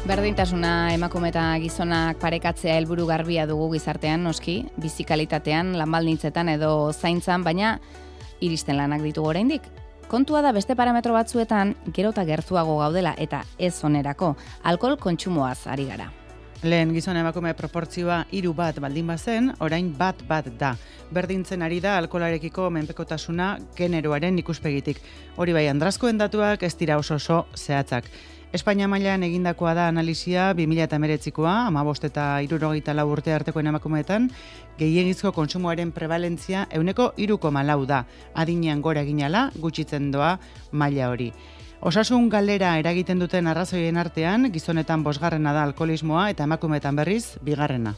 Berdintasuna emakume eta gizonak parekatzea helburu garbia dugu gizartean, noski, bizi kalitatean, lanbaldintzetan edo zaintzan, baina iristen lanak ditugu oraindik. Kontua da beste parametro batzuetan gero eta gertuago gaudela eta ez onerako, alkohol kontsumoaz ari gara. Lehen gizon emakume proportzioa 3 baldin bazen, orain 1 da. Berdintzen ari da alkoholarekiko menpekotasuna generoaren ikuspegitik. Hori bai, Andraskoen datuak ez dira oso zehatzak. Espainia mailan egindakoa da analisia 2019koa, 15 eta 64 urte artekoen emakumeetan, gehiegizko kontsumoaren prevalentzia 3,4 da. Adinean gora eginala, gutxitzen doa maila hori. Osasun galera eragiten duten arrazoien artean, gizonetan 5. da alkoholismoa eta emakumeetan berriz 2.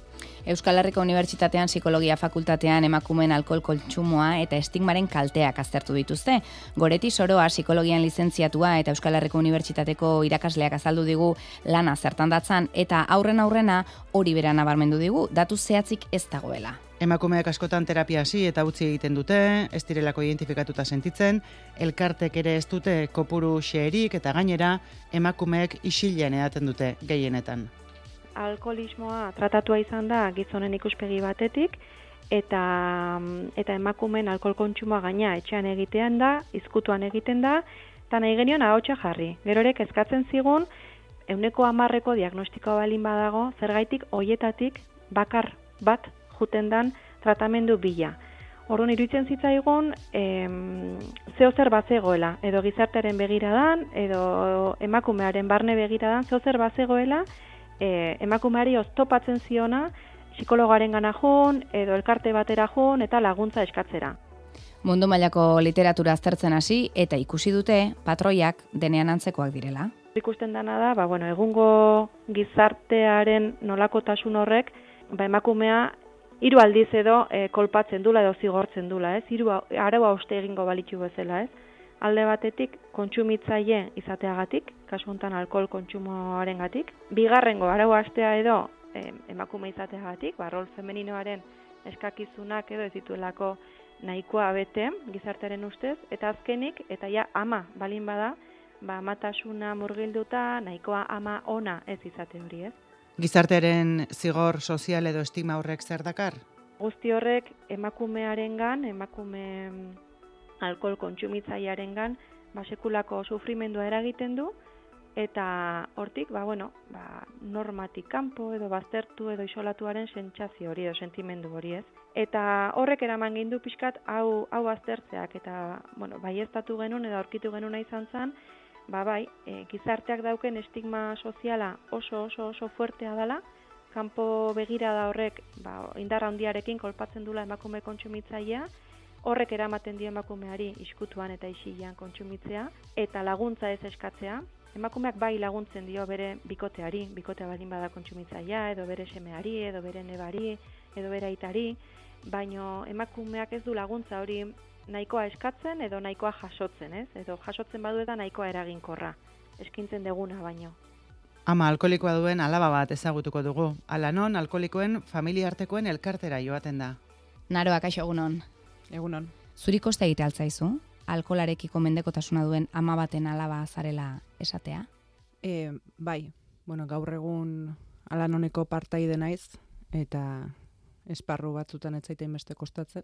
Euskal Herriko Unibertsitatean Psikologia Fakultatean emakumeen alkohol kontsumoa eta estigmaren kalteak aztertu dituzte. Goreti Soroa psikologian lizentziatua eta Euskal Herriko Unibertsitateko irakasleak azaldu digu lana zertan datzan eta aurrena hori bera nabarmendu digu, datu zehatzik ez dagoela. Emakumeak askotan terapia hasi eta utzi egiten dute, ez direlako identifikatuta sentitzen, elkartek ere ez dute kopuru xeherik eta gainera emakumeek isilean edaten dute gehienetan. Alkoholismoa tratatua izan da gizonen ikuspegi batetik eta emakumeen alkohol kontsumoa gaina etxean egitean da, izkutuan egiten da, eta nahi genion ahotsa jarri. Gerorek eskatzen zigun 110% diagnostikoa balin badago, zergaitik hoietatik bakar bat juten dan tratamendu bila. Orduan iruditzen zitzaigun zeozer bazegoela, edo gizartearen begiradan, edo emakumearen barne begiradan, zeozer bazegoela, emakumeari oztopatzen ziona, psikologaren gana jun, edo elkarte batera jun, eta laguntza eskatzera. Mundu mailako literatura aztertzen hasi eta ikusi dute patroiak denean antzekoak direla. Ikusten dana da, egungo gizartearen nolakotasun horrek, emakumea 3 aldiz edo kolpatzen dula edo zigortzen dula, ez? 3 araua hauste egingo balitzu bezala, ez? Alde batetik kontsumitzaile izateagatik, kasu honetan alkohol kontsumoarengatik. Bigarrengo araua hastea edo emakume izateagatik, rol femeninoaren eskakizunak edo ez dituelako nahikoa bete gizartearen ustez, eta azkenik eta ja ama balin bada, amatasuna murgilduta, nahikoa ama ona ez izate hori, ez? Gizartearen zigor sozial edo estigma horrek zer dakar? Guzti horrek emakumearengan, emakume alkohol kontsumitzailearengan sekulako sufrimendua eragiten du eta hortik normatik kanpo edo baztertu edo isolatuaren sentsazio hori edo sentimendu hori, ez? Eta horrek eraman gindu pixkat hau aztertzeak eta baieztatu genuen edo aurkitu genuna izan zen, gizarteak dauken estigma soziala oso fuertea dela, kanpo begirada horrek indar handiarekin kolpatzen dula emakume kontsumitzailea, horrek eramaten dio emakumeari iskutuan eta isilean kontsumitzea, eta laguntza ez eskatzea. Emakumeak bai laguntzen dio bere bikoteari, bikotea baldin bada kontsumitzailea, edo bere semeari, edo bere nebari, edo bere aitari, baino emakumeak ez du laguntza hori nahikoa eskatzen edo nahikoa jasotzen, ez? Edo jasotzen badu eta nahikoa eraginkorra, eskintzen deguna baino. Ama alkoholikoa duen alaba bat ezagutuko dugu. Hala non, alkoholikoen familia artekoen elkartera joaten da. Naroa, kaixo egunon. Egunon. Zuri kosta egite altzaizu, alkoholarekiko mendekotasuna duen ama baten alaba zarela esatea? Bai, gaur egun alanoneko partaide naiz, eta esparru batzutan ez zaiten beste kostatzen,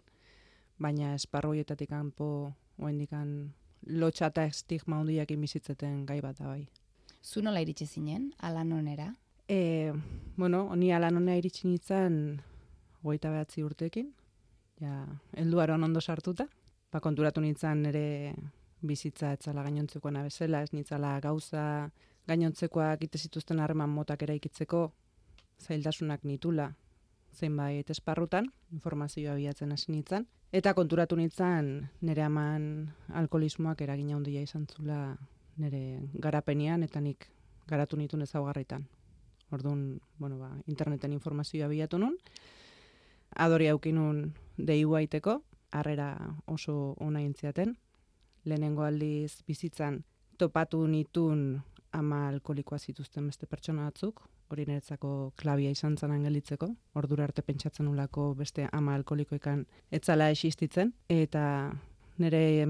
baina esparru horietatik kanpo oraindikan lotxa eta estigma handiakin bizitzeten gai bat da bai. Zu nola iritsi zinen alanonera? Ni alanonera iritsi nintzen 29 urteekin, helduaron ondo sartuta, konturatu nintzen nire bizitza etzala gainontzekoena bezala, ez nintzala gauza gainontzekoak ite zituzten harreman motak eraikitzeko zailtasunak nitula zenbait esparrutan, informazioa bilatzen hasi nintzen, eta konturatu nintzen nire aman alkoholismoak eragina handia izan zula nire garapenian eta nik garatu nituen ezaugarritan. Orduan, interneten informazioa bilatu nun, adori aukinun deiu aiteko, harrera oso ona intziaten. Lehenengo aldiz bizitzan topatu nitun ama alkoholikoa zituzten beste pertsona batzuk, hori niretzako klabia izan zanan gelditzeko, ordura arte pentsatzen nulako beste ama alkoholikoekan etzala existitzen, eta nire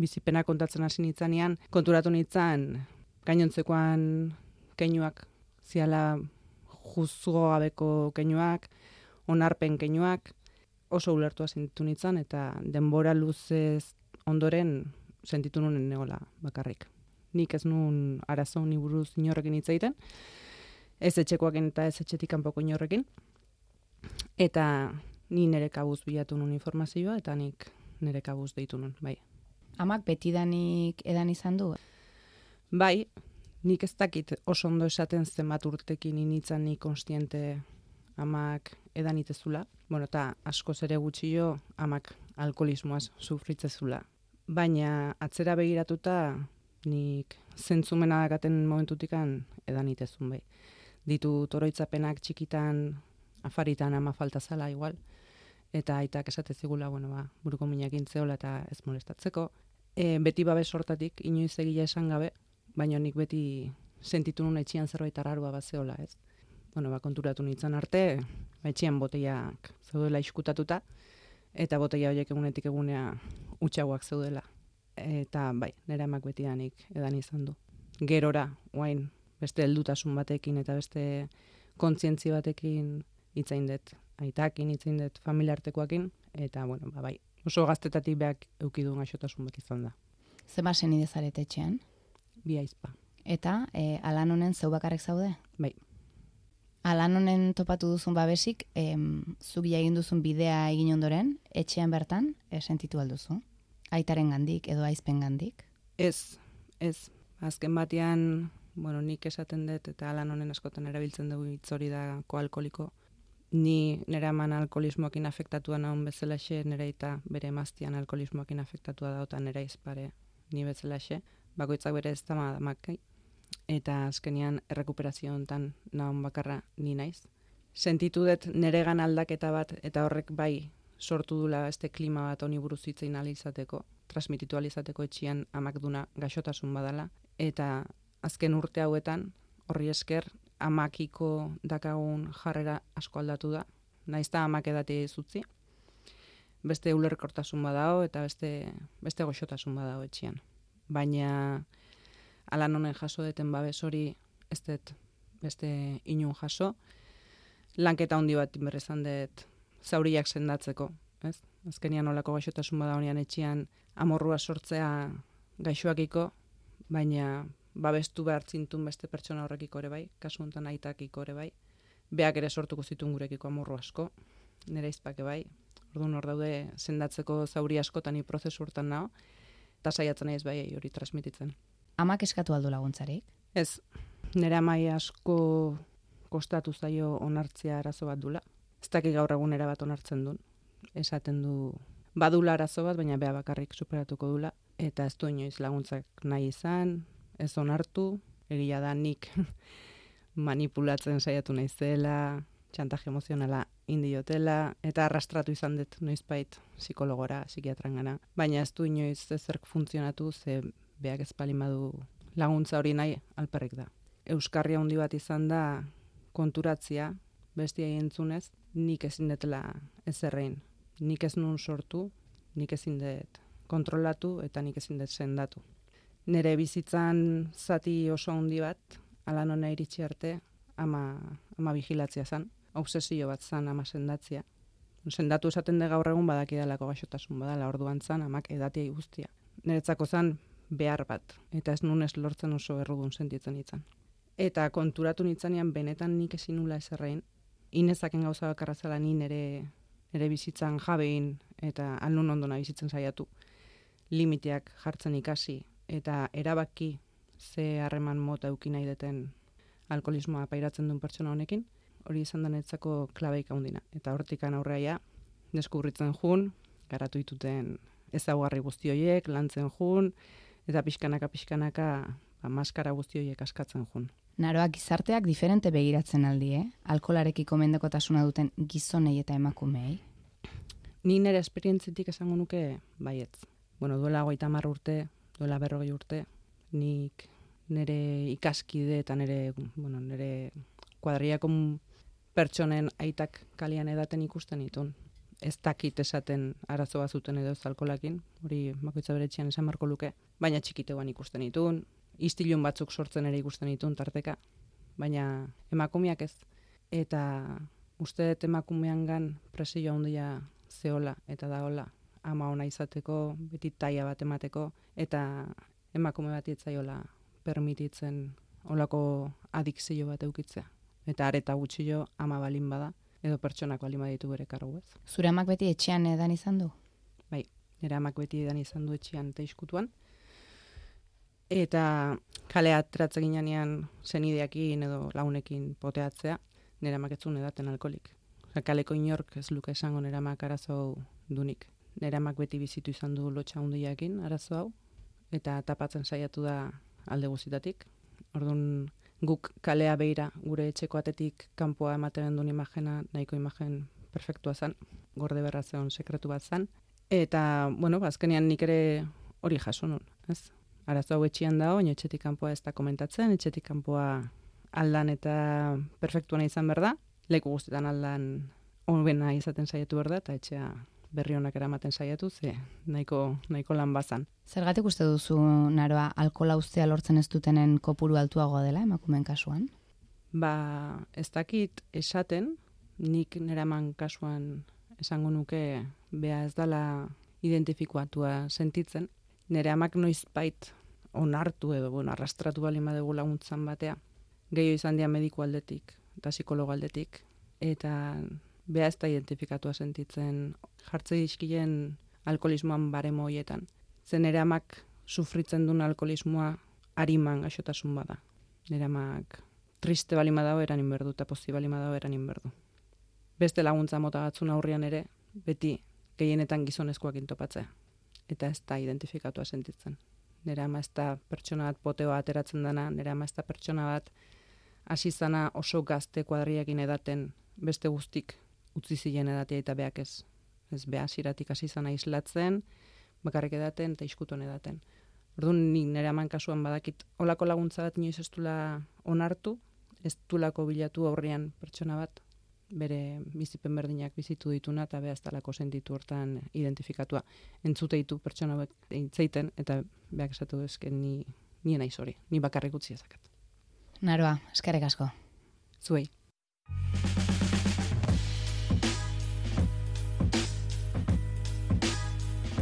bizipena kontatzen hasi nitzanean, konturatu nitzan gainontzekoan keinuak ziala juzgo gabeko keinuak, onarpen keinuak, oso ulertua sentitu nintzen, eta denbora luzez ondoren sentitu nuen negola bakarrik. Nik ez nuen arazo ni buruz inorrekin hitz egiten, ez etxekoakin eta ez etxetik kanpoko inorrekin, eta ni nire kabuz bilatu nuen informazioa, eta nik nire kabuz deitu nuen, bai. Amak betidanik edan izan du? Bai, nik ez dakit oso ondo esaten zenbat urtekin initzan ni konstiente amak edan itezula. Bueno, eta askoz ere gutxio amak alkoholismoaz sufritzezula. Baina atzera begiratuta nik zentzumena dakaten momentutikan edan itezun bai. Ditu toroitzapenak txikitan, afaritan ama falta zala igual. Eta aitak esate zigula, buruko minak intzeola eta ez molestatzeko. Beti babes hortatik, inoiz egila esan gabe, baina nik beti sentitu nuen etxian zerbait arrarua bazeola, ez? Konturatu nintzen arte, etxian boteiak zeudela iskutatuta, eta boteia horiek egunetik egunea utxagoak zeudela. Eta bai, nire amak betidanik edan izan du. Gerora, oain, beste heldutasun batekin eta beste kontzientzi batekin hitzain dut. Aitakin hitzain dut familiartekoakin, eta bai, oso gaztetatik behak eukidun gaixotasun bat izan da. Zema senide zarete etxean? Bi aizpa. Eta alan honen zeu bakarrik zaude? Bai. Alan honen topatu duzun babesik, zugia egin duzun bidea egin ondoren, etxean bertan, sentitu alduzu? Aitaren gandik edo aizpen gandik? Ez. Azken batean, nik esaten dut, eta alan honen askotan erabiltzen dugu hitz hori da koalkoliko. Ni nire eman alkoholismoakin afektatua naun bezalaxe, nire eta bere emaztian alkoholismoakin afektatua da, eta nire izpare ni bezalaxe. Bakoitzak bere ez damak, eta azkenian errekuperazio hontan naun bakarra ni naiz. Sentitu dut niregan aldaketa bat, eta horrek bai sortu dula beste klima bat honi buruz hitzein alizateko, transmititu alizateko etxian amak duna gaixotasun badala, eta azken urte hauetan, horri esker, amakiko dakagun jarrera asko aldatu da. Naizta amak edatea izutzi. Beste ulerkortasun badao eta beste goxotasun badao etxian. Baina alan honen jaso deten babes hori ez dut beste inun jaso. Lanketa handi bat berrezan dut zauriak sendatzeko. Ez? Azkenian olako gaixotasun bada honean etxian amorrua sortzea gaixoakiko, baina babestu behar zintun beste pertsona horrekiko ere bai, kasu honetan aitakiko ere bai. Beak ere sortuko zituen gurekiko amorru asko, nire izpake bai. Orduan hor daude sendatzeko zauri askotan ni prozesu hortan nao, eta saiatzen naiz bai hori transmititzen. Amak eskatu aldu laguntzarik? Ez, nire amai asko kostatu zaio onartzea arazo bat dula. Ez dakik gaur egun bat onartzen duen. Esaten du badula arazo bat, baina bea bakarrik superatuko dula, eta ez du inoiz laguntzak nahi izan, ez onartu, egia da nik manipulatzen saiatu naizela, txantaje emozionala indiotela, eta arrastratu izan dut noizbait psikologora, psikiatrangana. Baina ez du inoiz ezerk funtzionatu, ze beak ez palin badu laguntza hori nahi alperrik da. Euskarria handi bat izan da konturatzia, bestiai entzunez, nik ezin detela ezerrein. Nik ez nun sortu, nik ezin dut kontrolatu, eta nik ezin dut sendatu. Nere bizitzan zati oso handi bat, alan hona iritsi arte, ama vigilatzea zan. Obsesio bat zan ama sendatzea. Sendatu esaten de gaur egun badakidalako gaixotasun badala, orduan zan amak edatia guztia. Niretzako zan behar bat, eta ez nunez lortzen oso errudun sentitzen itzan. Eta konturatu nitzanean benetan nik ezin nula ezerrein, inezaken gauza bakarra zela ni nere bizitzan jabein, eta alnun ondona bizitzen saiatu. Limiteak jartzen ikasi, eta erabaki ze harreman mota euki nahi deten alkoholismoa pairatzen duen pertsona honekin, hori izan denetzako klabeik handina. Eta hortikan aurreia, deskubritzen jun, garatu dituten ezaugarri guzti horiek, lantzen jun, eta pixkanaka maskara guzti horiek askatzen jun. Naroak gizarteak diferente begiratzen aldi, alkoholarekiko mendekotasuna duten gizonei eta emakumei? Ni nire esperientzitik esango nuke baietz. Duela 30 urte, duela 40 urte, nik nire ikaskide eta nire kuadriako pertsonen aitak kalian edaten ikusten ditun. Ez dakit esaten arazo bat zuten edo ez alkolakin, hori bakoitza bere etxean esan marko luke, baina txikiteguan ikusten ditun, istilun batzuk sortzen ere ikusten ditun tarteka, baina emakumeak ez. Eta uste dut emakumeangan presio handia zeola eta daola ama ona izateko, beti taia bat emateko, eta emakume bat itzaiola permititzen olako adikzio bat eukitzea. Eta areta gutxio ama balin bada, edo pertsonak balin baditu bere kargu ez. Zure amak beti etxean edan izan du? Bai, nire amak beti edan izan du etxean eta iskutuan. Eta kalea ateratzen ginean zenideakin edo launekin poteatzea, nire amak etzun edaten alkolik. Kaleko inork ez luke esango nire amak arazo dunik. Nire amak beti bizitu izan du lotxa hundiakin arazo hau, eta tapatzen saiatu da alde guzitatik. Orduan guk kalea beira gure etxeko atetik kanpoa ematen duen imagena, nahiko imagen perfektua zen, gorde berra zeon sekretu bat zen. Eta, bueno, azkenean nik ere hori jaso nun, ez? Arazo hau etxean dago, baina etxetik kanpoa ez da komentatzen, etxetik kanpoa aldan eta perfektuana izan behar da, leku guztietan aldan honbena izaten saiatu behar da, eta etxea berri honak eramaten saiatu, ze nahiko lan bazan. Zergatik uste duzu, Naroa, alkohola uztea lortzen ez dutenen kopuru altuagoa dela emakumeen kasuan? Ba, ez dakit esaten, nik nire aman kasuan esango nuke bea ez dala identifikatua sentitzen. Nire amak noizbait onartu edo, arrastratu bali madegu laguntzan batea. Gehiago izan dira mediku aldetik eta psikologo aldetik. Eta bea ez da identifikatua sentitzen jartze dizkien alkoholismoan baremo hoietan. Zen nire amak sufritzen duen alkoholismoa ariman gaixotasun bada. Nire amak triste bali madao eranin berdu eta pozi bali madao eranin berdu. Beste laguntza mota batzun aurrian ere, beti gehienetan gizonezkoak intopatzea. Eta ez da identifikatua sentitzen. Nire ama ez da pertsona bat poteoa ateratzen dana, nire ama ez da pertsona bat hasi zana oso gazte kuadriakin edaten beste guztik utzi ziren edatea eta beak ez. Ez beha siratik hasi zana islatzen, bakarrik edaten eta iskuton edaten. Orduan nik nire aman kasuan badakit olako laguntza bat inoiz ez dula onartu, ez dulako bilatu aurrean pertsona bat, bere bizipen berdinak bizitu dituna eta beha ez dalako sentitu hortan identifikatua. Entzute ditu pertsona bat intzeiten eta beak esatu ezken ni naiz hori, ni bakarrik utzi ezakat. Naroa, eskerrik asko. Zuei.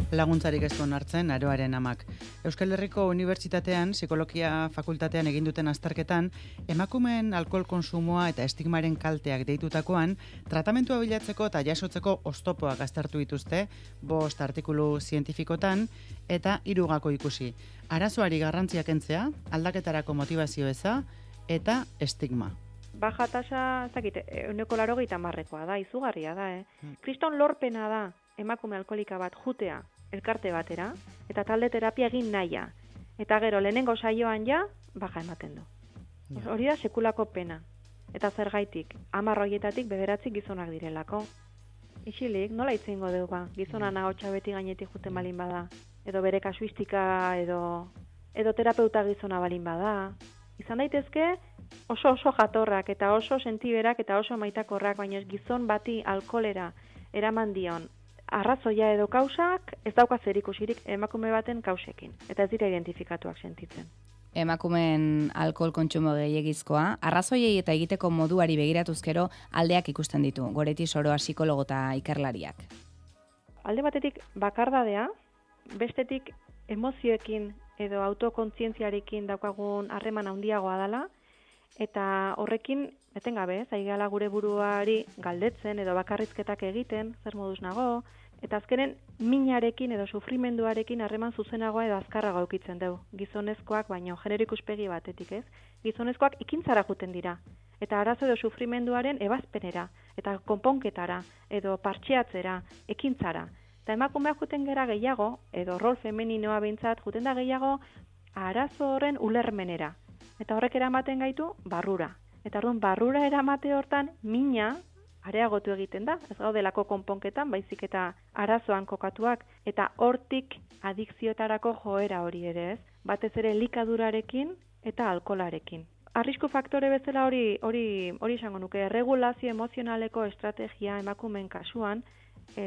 Laguntzarik ez duen hartzen Naroaren amak. Euskal Herriko Unibertsitatean, Psikologia Fakultatean egin duten azterketan, emakumeen alkohol konsumoa eta estigmaren kalteak deitutakoan, tratamentua bilatzeko eta jasotzeko oztopoak aztertu dituzte, 5 artikulu zientifikotan, eta 3 gako ikusi. Arazoari garrantzia kentzea, aldaketarako motivazio eza, eta estigma. Baja tasa, ez dakit, 80%koa da, izugarria da, Kriston lorpena da, emakume alkoholika bat jutea, elkarte batera, eta talde terapia egin nahia. Eta gero, lehenengo saioan ja, baja ematen du. Ja. Hori da sekulako pena. Eta zergaitik, 10 horietatik 9 gizonak direlako. Isilik, nola itzingo dugu ba? Gizona nahotxa beti gainetik juten balin bada. Edo bere kasuistika, edo terapeuta gizona balin bada. Izan daitezke, oso jatorrak, eta oso sentiberak, eta oso maitakorrak, baina gizon bati alkoholera eraman dion arrazoia edo kausak ez dauka zerikusirik emakume baten kausekin, eta ez dira identifikatuak sentitzen. Emakumeen alkohol kontsumo gehiegizkoa, arrazoiei eta egiteko moduari begiratuzkero aldeak ikusten ditu, Goreti Soroa psikologo eta ikerlariak. Alde batetik bakardadea, bestetik emozioekin edo autokontzientziarekin daukagun harreman handiagoa dela, eta horrekin etengabe, zaigala gure buruari galdetzen edo bakarrizketak egiten, zer moduz nago, eta azkenen minarekin edo sufrimenduarekin harreman zuzenagoa edo azkarrago eukitzen dugu. Gizonezkoak, baino genero ikuspegi batetik ez, gizonezkoak ikintzara juten dira, eta arazo edo sufrimenduaren ebazpenera, eta konponketara, edo partxeatzera, ekintzara. Eta emakumeak juten gera gehiago, edo rol femeninoa behintzat, juten da gehiago arazo horren ulermenera. Eta horrek eramaten gaitu barrura. Eta orduan barrura eramate hortan mina areagotu egiten da. Ez gaudelako konponketan, baizik eta arazoan kokatuak. Eta hortik adikzioetarako joera hori ere ez. Batez ere likadurarekin eta alkolarekin. Arrisku faktore bezala hori izango nuke. Erregulazio emozionaleko estrategia emakumeen kasuan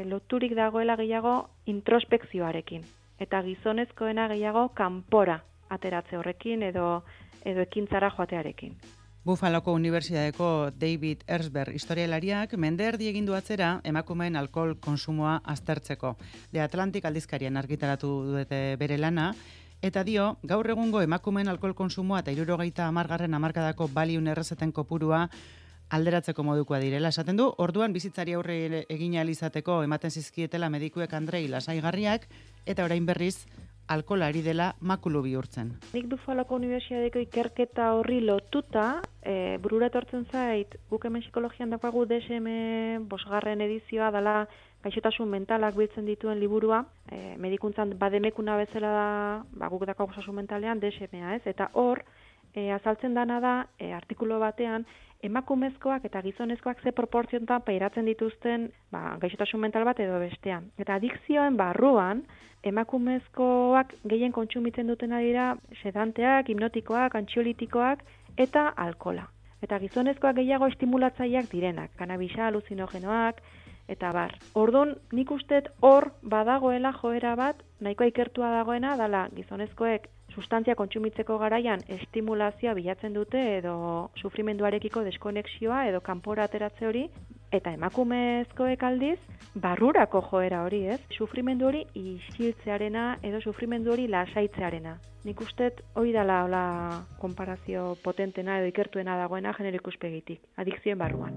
loturik dagoela gehiago introspekzioarekin. Eta gizonezkoena gehiago kanpora ateratze horrekin edo ekintzara joatearekin. Buffaloko Unibertsitateko David Erzberg historialariak mende erdi egin du atzera emakumeen alkohol konsumoa aztertzeko. The Atlantic aldizkarian argitaratu dute bere lana, eta dio, gaur egungo emakumeen alkohol konsumoa eta 70. hamarkadako baliun errezeten kopurua alderatzeko modukoa direla. Esaten du, orduan bizitzari aurre egin ahal izateko ematen zizkietela medikuek Andrei lasaigarriak, eta orain berriz alkoholari dela makulu bihurtzen. Nik Buffaloko Unibertsitateko ikerketa horri lotuta, burura etortzen zait, guk hemen psikologian daukagu DSM 5. edizioa dela gaixotasun mentalak biltzen dituen liburua, medikuntzan bademekuna bezala da, guk daukagu osasun mentalean DSM-a, ez? Eta hor, azaltzen dana da, artikulu batean, emakumezkoak eta gizonezkoak ze proportziontan pairatzen dituzten gaixotasun mental bat edo bestean. Eta adikzioen barruan, emakumezkoak gehien kontsumitzen dutena dira sedanteak, hipnotikoak, antxiolitikoak eta alkola. Eta gizonezkoak gehiago estimulatzaileak direnak, kanabisa, aluzinogenoak, eta bar. Orduan, nik uste hor badagoela joera bat, nahikoa ikertua dagoena, dala gizonezkoek sustantzia kontsumitzeko garaian estimulazioa bilatzen dute edo sufrimenduarekiko deskonexioa edo kanpora ateratze hori, eta emakumezkoek aldiz barrurako joera hori, ez? Sufrimendu hori isiltzearena edo sufrimendu hori lasaitzearena. Nik uste hori dela hola konparazio potentena edo ikertuena dagoena genero ikuspegitik, adikzioen barruan.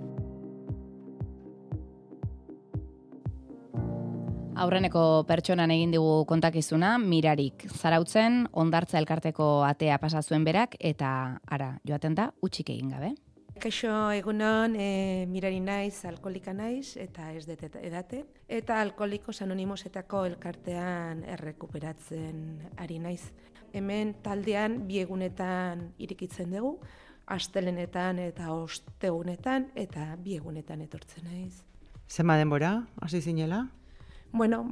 Aurreneko pertsonan egin digu kontakizuna, Mirarik. Zarautzen, Hondartza elkarteko atea pasa zuen berak, eta ara, joaten da, utzik egin gabe. Kaixo egunon, Mirari naiz, alkoholika naiz, eta ez dut edate. Eta Alkoholikos Anonimosetako elkartean errekuperatzen ari naiz. Hemen taldean 2 egunetan irikitzen dugu, astelenetan eta ostegunetan, eta 2 egunetan etortzen naiz. Zenba denbora, hasi zinela? Bueno,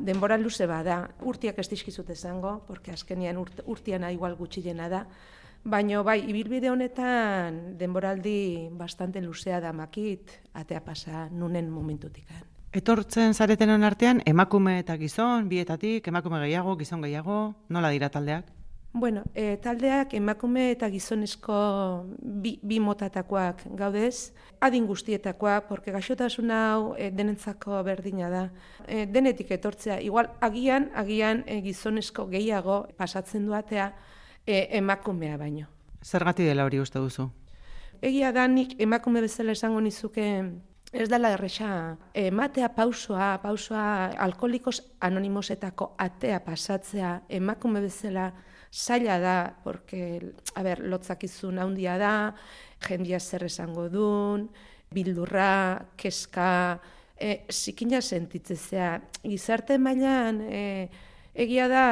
denbora luze bada. Urtiak ez dizkizut esango, porque azkenean urtiana igual gutxiena da. Baina bai, ibilbide honetan denboraldi bastante luzea da makit, atea pasa nunen momentutikan. Etortzen zaretenen artean, emakume eta gizon, bietatik, emakume gehiago, gizon gehiago, nola dira taldeak? Bueno, taldeak emakume eta gizonezko bi motatakoak gaudez, adin guztietakoak, porque gaixotasun hau denentzako berdina da. Denetik etortzea, igual agian gizonezko gehiago pasatzen duatea emakumea baino. Zergatik dela hori uste duzu? Egia da nik emakume bezala esango nizuke ez dela erresa ematea pausoa Alkoholikos Anonimosetako atea pasatzea emakume bezala zaila da, porque, lotzakizun handia da, jendia zer esango dun, bildurra, keska, zikina sentitzezea. Gizarte mailan, egia da,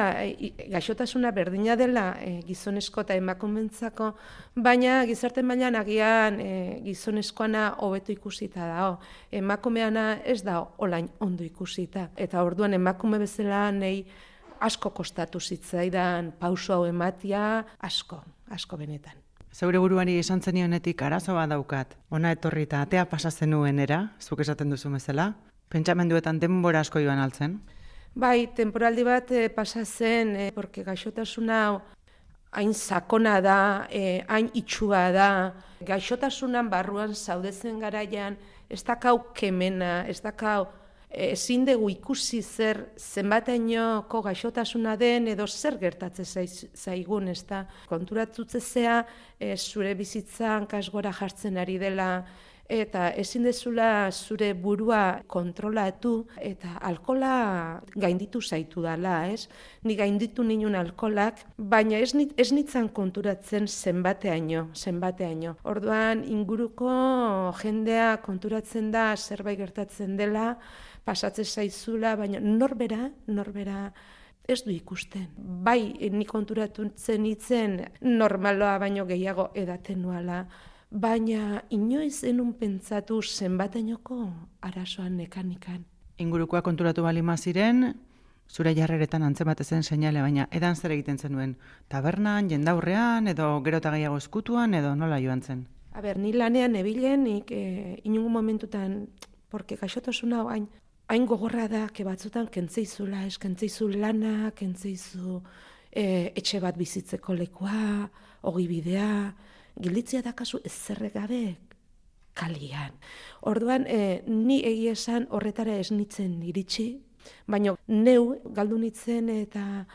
gaixotasuna berdina dela gizonezko eta emakumentzako, baina gizarte mailan agian gizonezkoana hobeto ikusita da. Emakumeana ez da olain ondo ikusita. Eta orduan emakume bezala nahi asko kostatu zitzaidan pauso hau ematia, asko benetan. Zeure buruari esan zenionetik arazo bat daukat. Ona etorri eta atea pasa zenuenera, zuk esaten duzu bezala, pentsamenduetan denbora asko joan altzen? Bai, temporaldi bat pasa zen, porque gaixotasuna hain sakona da, hain itxua da, gaixotasunan barruan zaudezen garaian, ez dakau kemena, ez dakau ezin dugu ikusi zenbatainoko gaixotasuna den edo zer gertatzen zaigun, ez da. Konturatutzea zure bizitzan kasgora jartzen ari dela eta ezin dezula zure burua kontrolatu eta alkola gainditu zaitu dela, ez? Ni gainditu ninun alkolak, baina ez nitzan konturatzen zenbateaino. Orduan inguruko jendea konturatzen da zerbait gertatzen dela, pasatzen zaizula, baina norbera ez du ikusten. Bai, ni konturatzen nitzen normaloa baino gehiago edaten nuala, baina inoiz enun pentsatu zenbatainoko arazoan nekanikan. Ingurukoa konturatu balima ziren, zure jarreretan antzematezen seinale, baina edan zer egiten zenuen? Tabernan, jendaurrean, edo gero eta gehiago eskutuan, edo nola joan zen? Ni lanean ebilen, inungo momentutan, porque gaixotasuna hain gogorra da, batzutan kentzeizula, kentzeizu lana, kentzeizu etxe bat bizitzeko lekua, ogibidea, gilditzea dakazu ezerre gabe kalian. Orduan, ni egia esan horretara ez nitzen iritsi, baina neu galdu nitzen eta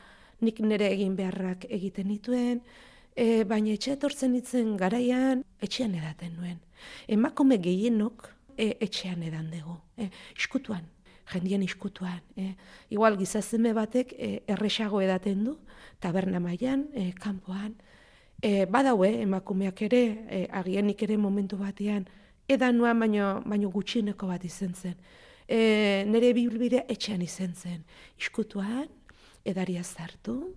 nik nire egin beharrak egiten nituen, baina etxe etortzen nitzen garaian, etxean edaten nuen. Emakume gehienok etxean edan dugu, iskutuan, jendien iskutuan. Igual gizazeme batek erresago edaten du, taberna mailan, kanpoan. Badaue emakumeak ere, agienik ere momentu batean, edan nuan baino gutxineko bat izan zen. Nire bibilbidea etxean izan zen, iskutuan, edaria zartu,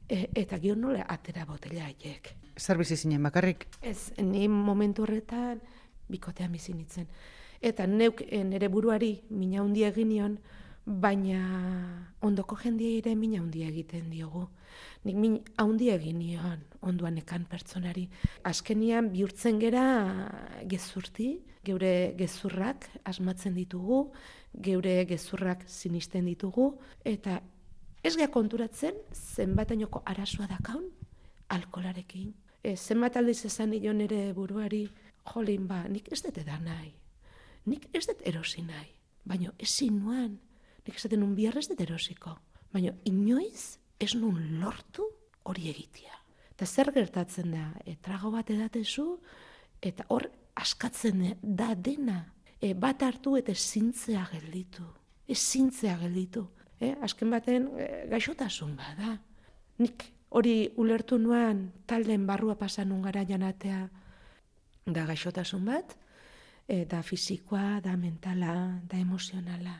eta gio nola atera botella haiek. Zer bizi zinen bakarrik? Ez, ni momentu horretan bikotean bizi nintzen. Eta neuk nire buruari mina handia egin nion, baina ondoko jendia ere mina handia egiten diogu. Nik min handia egin nion onduan ekan pertsonari. Azkenian bihurtzen gera gezurti, geure gezurrak asmatzen ditugu, geure gezurrak sinisten ditugu, eta ez gea konturatzen zenbatainoko arazoa dakaun alkolarekin. Zenbat aldiz esan nion ere buruari, jolin nik ez dut edan nahi. Nik ez dut erosi nahi, baina ezin nuan, nik esaten nun bihar ez dut erosiko, baina inoiz ez nun lortu hori egitea. Eta zer gertatzen da, trago bat edatezu, eta hor askatzen da dena, bat hartu eta ezintzea gelditu, Azken baten gaixotasun bada. Nik hori ulertu nuan talden barrua pasan nun gara janatea da gaixotasun bat, da fisikoa, da mentala, da emozionala.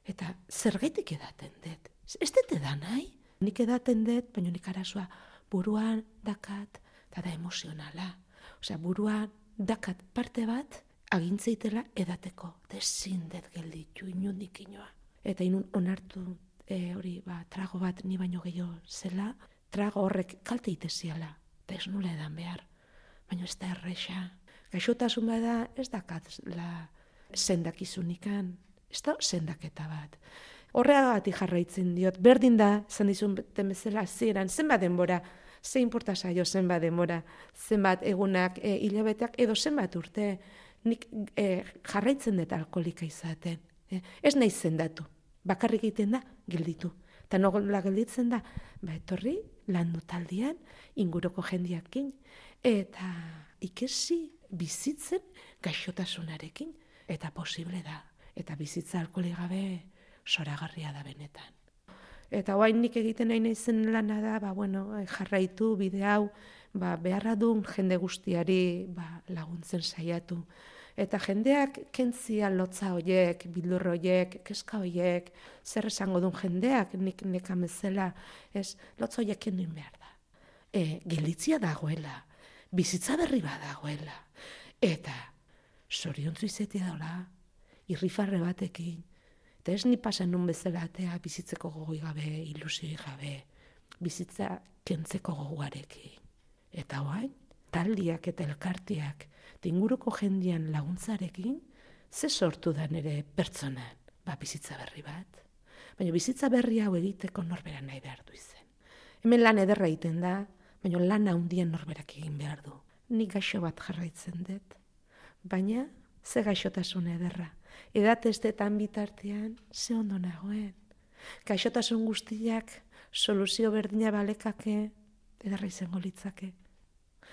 Eta zergaitik edaten dut? Ez dut edan nahi? Nik edaten dut, baina nik arazoa buruan dakat, eta da emozionala. Osea, buruan dakat parte bat, agintzeitela edateko. Eta ezin dut gelditu, inundik inoa. Eta inun onartu hori trago bat ni baino gehiago zela, trago horrek kalte iteziala, eta ez nula edan behar. Baina ez da erresa. Gaixotasun bada ez dakatla sendakizunikan, ez da sendaketa bat. Horreagatik jarraitzen diot, berdin da, esan dizun bezala hasieran, zenbat denbora, ze inporta zaio zenbat denbora, zenbat egunak, hilabeteak, edo zenbat urte, nik jarraitzen dut alkoholika izaten. Ez nahi zendatu, bakarrik egiten da, gelditu. Eta nola gelditzen da, etorri, landu taldean, inguruko jendiakin, eta ikesi bizitzen gaixotasunarekin, eta posible da. Eta bizitza alkoholik gabe zoragarria da benetan. Eta oain nik egiten nahi naizen lana da, jarraitu bide hau, beharra duen jende guztiari laguntzen saiatu. Eta jendeak kentzia lotza hoiek, bildur hoiek, keska hoiek, zer esango duen jendeak, nik nekamezela, lotza hoiek kenduin behar da. Gelditzia dagoela, bizitza berri bat dagoela. Eta zoriontzu izetia dola, irrifarre batekin, eta ez ni pasan nun bezala atea bizitzeko gogoi gabe, ilusioi gabe, bizitza kentzeko gogoarekin. Eta oain, taldiak eta elkartiak, inguruko jendian laguntzarekin, ze sortu da nire pertsonan, bizitza berri bat. Baina bizitza berri hau egiteko norbera nahi behar du izen. Hemen lan ederra egiten da, baina lan handien norberak egin behar du. Nik gaixo bat jarraitzen dut, baina ze gaixotasun ederra. Edatestetan bitartean, ze ondo nagoen. Gaixotasun guztiak soluzio berdina balekake, ederra izango litzake.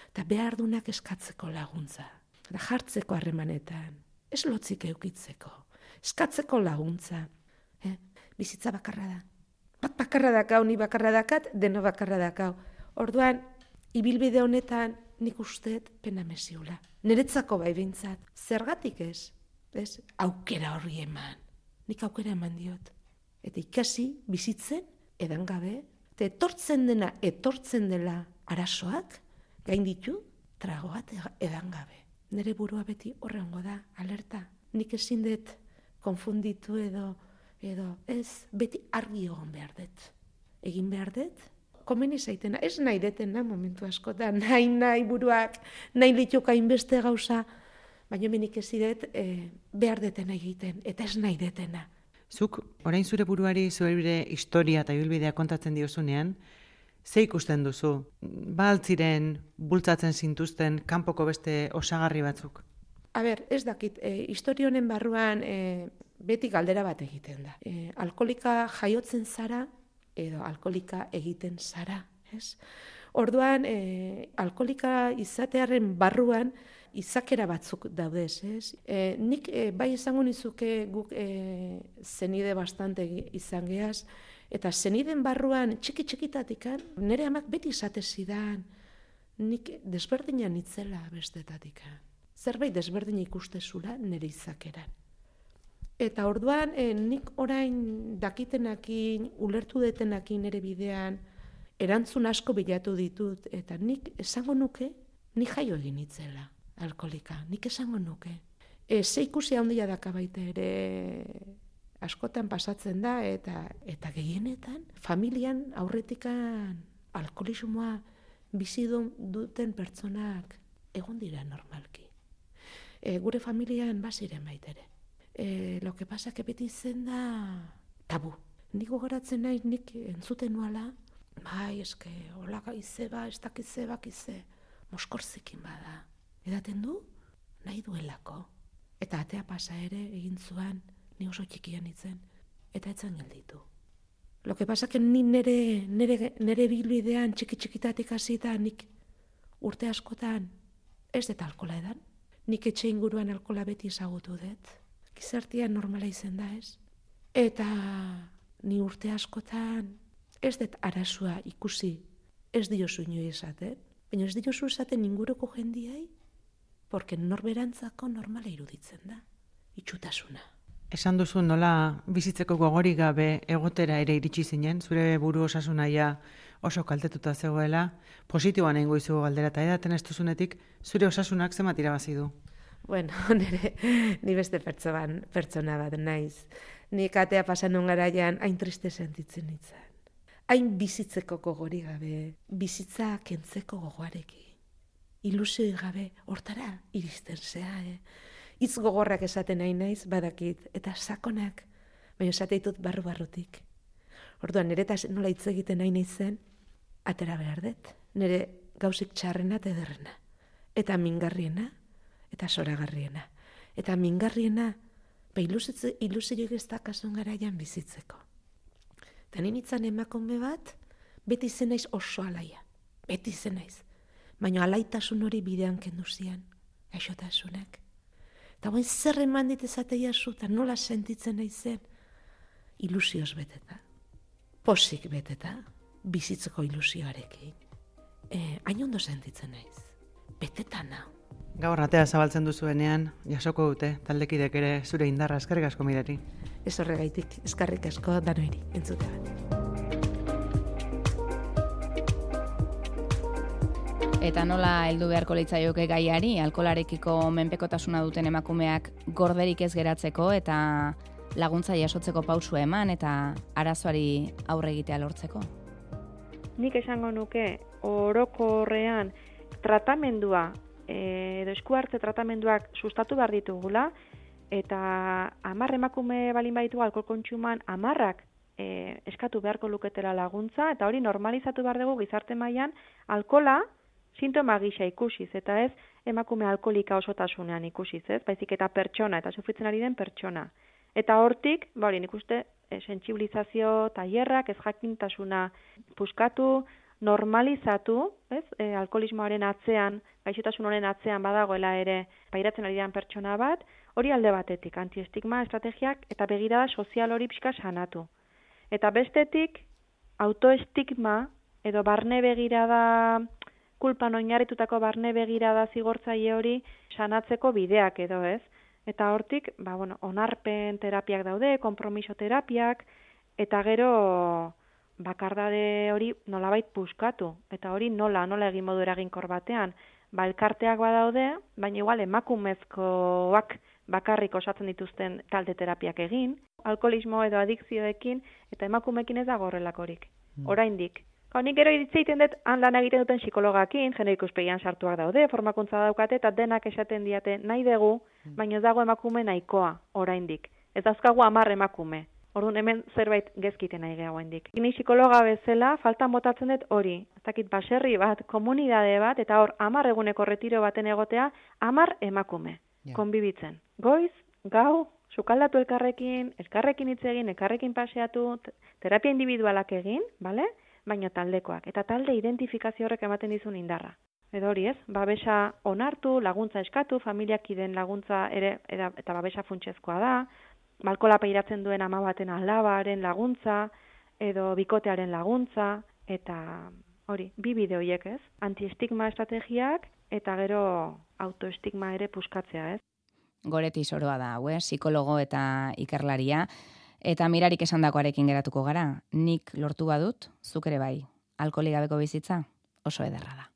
Eta behar dunak eskatzeko laguntza. Eta jartzeko harremanetan, ez lotzik eukitzeko, eskatzeko laguntza. Bizitza bakarra da. Bat bakarra dakau, ni bakarra dakat, deno bakarra dakau. Orduan, ibilbide honetan nik usteet pena mesiula. Niretzako bai bintzat, zergatik ez? Aukera horri eman. Nik aukera eman diot. Eta ikasi bizitzen edan gabe, eta etortzen dela arazoak, gain ditu, tragoat edan gabe. Nere burua beti horrengo da, alerta. Nik ezin dut konfunditu edo ez, beti argi egon behar dut. Egin behar dut, komeni zaitena, ez nahi detena momentu askotan, nahi buruak, nahi lituka inbeste gauza, baina menik ez dut behar detena egiten, eta ez nahi detena. Zuk, orain zure buruari zure historia eta ibilbidea kontatzen diozunean, Ze ikusten duzu? Baltziren bultzatzen zintuzten kanpoko beste osagarri batzuk? Ez dakit, historia honen barruan beti galdera bat egiten da. Alkolika jaiotzen zara edo alkolika egiten zara, ez? Orduan, alkolika izatearen barruan izakera batzuk daudez, ez? Nik bai izango nizuke guk zenide bastante izan geaz, eta zeniden barruan txiki-txikitatikan, nire amak beti izate zidan, nik desberdina nitzela bestetatikan. Zerbait desberdin ikustezula nire izakeran. Eta orduan, nik orain dakitenakin, ulertu detenakin nire bidean, erantzun asko bilatu ditut, eta nik esango nuke, nik jaio egin nitzela, alkolika, nik esango nuke. Ze ikusi handia daka baita ere askotan pasatzen da, eta gehienetan, familian aurretikan alkolismoa bizi duten pertsonak egon dira normalki. Gure familian baziren baitere. Lo que pasa que beti zen da tabu. Nik gogoratzen naiz, nik entzuten nuala, bai, eske, hola gaize ba, ez dakize bakize, moskorzikin bada. Edaten du, nahi duelako. Eta atea pasa ere egin zuan, ni oso txikian itzen, eta etzan gelditu. Lo que pasa que ni nere bilbidean txiki-txikitatik hasita nik urte askotan ez dut alkola edan. Nik etxe inguruan alkola beti ezagutu dut. Gizartean normala izen da ez. Eta ni urte askotan ez dut arazoa ikusi ez diozu inoi esaten. Baina ez diozu esaten inguruko jendiai, porque norberantzako normala iruditzen da. Itxutasuna. Esan duzu nola bizitzeko gogorik gabe egotera ere iritsi zinen, zure buru osasunaia oso kaltetuta zegoela, positiboan egingo izugu galdera eta edaten ez duzunetik, zure osasunak zenbat irabazi du? Bueno, ni beste pertsona bat naiz. Ni katea pasan garaian hain triste sentitzen nintzen. Hain bizitzeko gogorik gabe, bizitza kentzeko gogoarekin. Ilusioi gabe, hortara iristen zea, Hitz gogorrak esaten nahi naiz, badakit, eta sakonak, baina esateitut barru-barrutik. Orduan, niretaz nola hitz egiten nahi naizen, atera behar dut. Nire gausik txarrena eta ederrena. Eta mingarriena, eta zoragarriena. Eta mingarriena, ilusioik ez da kasun garaian bizitzeko. Eta ninitzan emakume bat, beti zen naiz oso alaia. Beti zen naiz. Baina alaitasun hori bidean kendu zian, gaixotasunak. Eta guen zer eman ditezatea zuta, nola sentitzen naizen, ilusioz beteta, posik beteta, bizitzeko ilusioarekin. Hain ondo sentitzen naiz, beteta nau. Gaur atea zabaltzen duzuenean, jasoko dute, taldekidek ere zure indarra, eskerrik asko Mirari. Ez horregaitik, eskerrik asko danoiri, entzute bat. Eta nola heldu beharko litzaioke gaiari, alkolarekiko menpekotasuna duten emakumeak gorderik ez geratzeko eta laguntza jasotzeko pausua eman eta arazoari aurre egitea lortzeko? Nik esango nuke orokorrean tratamendua edo eskuhartze tratamenduak sustatu behar ditugula eta 10 emakume balin baditu alkohol kontsuman 10ak eskatu beharko luketela laguntza eta hori normalizatu behar dugu gizarte mailan alkola sintoma gisa ikusiz, eta ez emakume alkolika osotasunean ikusiz, ez? Baizik eta pertsona, eta sufritzen ari den pertsona. Eta hortik, hori nik uste, sentsibilizazio tailerrak, ez jakintasuna puskatu, normalizatu, ez? Alkoholismoaren atzean, gaixotasun honen atzean badagoela ere pairatzen ari den pertsona bat, hori alde batetik, antiestigma estrategiak eta begirada sozial hori pixka sanatu. Eta bestetik, autoestigma edo barne begirada kulpan oinarritutako barne begirada zigortzaile hori sanatzeko bideak edo ez. Eta hortik, onarpen terapiak daude, konpromiso terapiak, eta gero bakardade hori nolabait puskatu. Eta hori nola egin modu eraginkor batean. Elkarteak badaude, baina igual emakumezkoak bakarrik osatzen dituzten talde terapiak egin, alkoholismo edo adikzioekin, eta emakumeekin ez dago horrelakorik. Oraindik. Nik gero egiten dut lan egiten duten psikologakin, genero ikuspegian sartuak daude, formakuntza daukate, eta denak esaten diate nahi dugu, baina ez dago emakume nahikoa, oraindik. Ez dauzkagu 10 emakume. Orduan hemen zerbait gezkiten nahi gehiago hendik. Ni psikologa bezala faltan botatzen dut hori. Ez dakit baserri bat, komunidade bat, eta hor 10 eguneko retiro baten egotea, 10 emakume, konbibitzen. Goiz, gau, sukaldatu elkarrekin hitz egin, elkarrekin paseatu, terapia individualak egin, bale? Baina taldekoak. Eta talde identifikazio horrek ematen dizun indarra. Edo hori ez, babesa onartu, laguntza eskatu, familiakiden laguntza ere, eta babesa funtsezkoa da, balkola pairatzen duen ama baten alabaren laguntza, edo bikotearen laguntza, eta hori, 2 bide horiek ez, antiestigma estrategiak, eta gero autoestigma ere puskatzea ez. Goreti Soroa da, psikologo eta ikerlaria, eta Mirarik esandakoarekin geratuko gara, nik lortu badut, zuk ere bai, alkoholik gabeko bizitza oso ederra da.